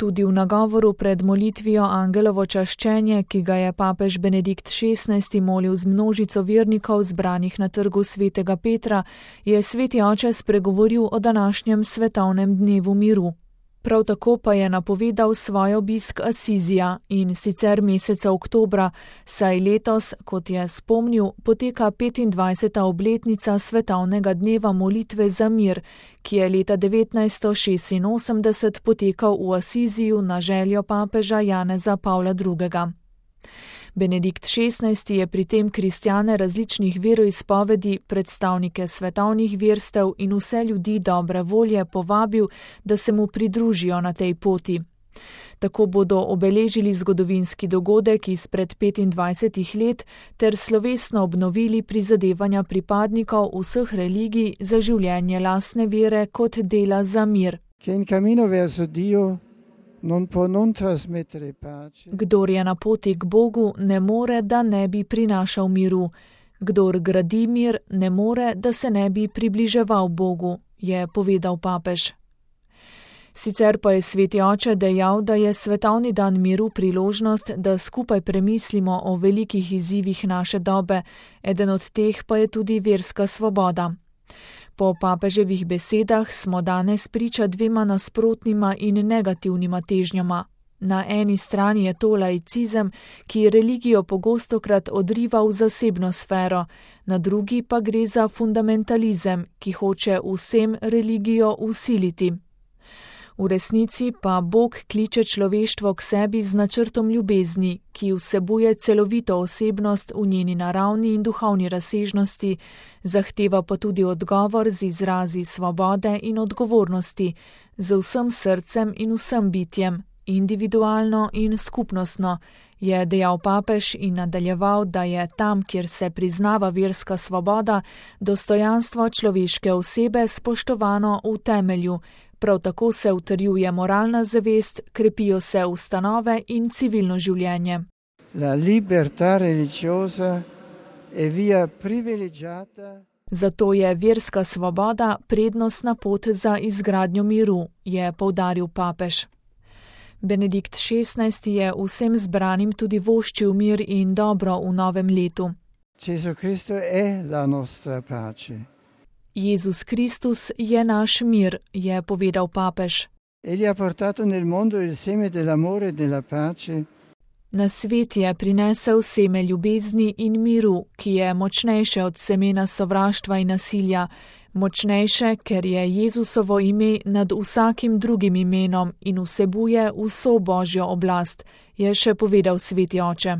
Tudi v nagovoru pred molitvijo Angelovo čaščenje, ki ga je papež Benedikt XVI molil z množico vernikov zbranih na trgu svetega Petra, je sveti oče spregovoril o današnjem svetovnem dnevu miru. Prav tako pa je napovedal svoj obisk Asizija, in sicer meseca oktobra, saj letos, kot je spomnil, poteka 25. obletnica svetovnega dneva molitve za mir, ki je leta 1986 potekal v Asiziju na željo papeža Janeza Pavla II. Benedikt XVI je pri tem kristjane različnih veroizpovedi, predstavnike svetovnih verstev in vse ljudi dobre volje povabil, da se mu pridružijo na tej poti. Tako bodo obeležili zgodovinski dogodek izpred 25 let ter slovesno obnovili prizadevanja pripadnikov vseh religij za življenje lastne vere kot dela za mir. Kdor je na poti k Bogu, ne more, da ne bi prinašal miru. Kdor gradi mir, ne more, da se ne bi približeval Bogu, je povedal papež. Sicer pa je sveti oče dejal, da je svetovni dan miru priložnost, da skupaj premislimo o velikih izzivih naše dobe, eden od teh pa je tudi verska svoboda. Po papeževih besedah smo danes priča dvema nasprotnima in negativnima težnjama. Na eni strani je to laicizem, ki religijo pogostokrat odriva v zasebno sfero, na drugi pa gre za fundamentalizem, ki hoče vsem religijo vsiliti. V resnici pa Bog kliče človeštvo k sebi z načrtom ljubezni, ki vsebuje celovito osebnost v njeni naravni in duhovni razsežnosti, zahteva pa tudi odgovor z izrazi svobode in odgovornosti, z vsem srcem in vsem bitjem, individualno in skupnostno, je dejal papež in nadaljeval, da je tam, kjer se priznava verska svoboda, dostojanstvo človeške osebe spoštovano v temelju. Prav tako se utrjuje moralna zavest, krepijo se ustanove in civilno življenje. Zato je verska svoboda prednostna pot za izgradnjo miru, je poudaril papež. Benedikt XVI je vsem zbranim tudi voščil mir in dobro v novem letu. Jezus Kristus je naš mir, je povedal papež. Na svet je prinesel seme ljubezni in miru, ki je močnejše od semena sovraštva in nasilja, močnejše, ker je Jezusovo ime nad vsakim drugim imenom in vsebuje vso Božjo oblast, je še povedal sveti oče.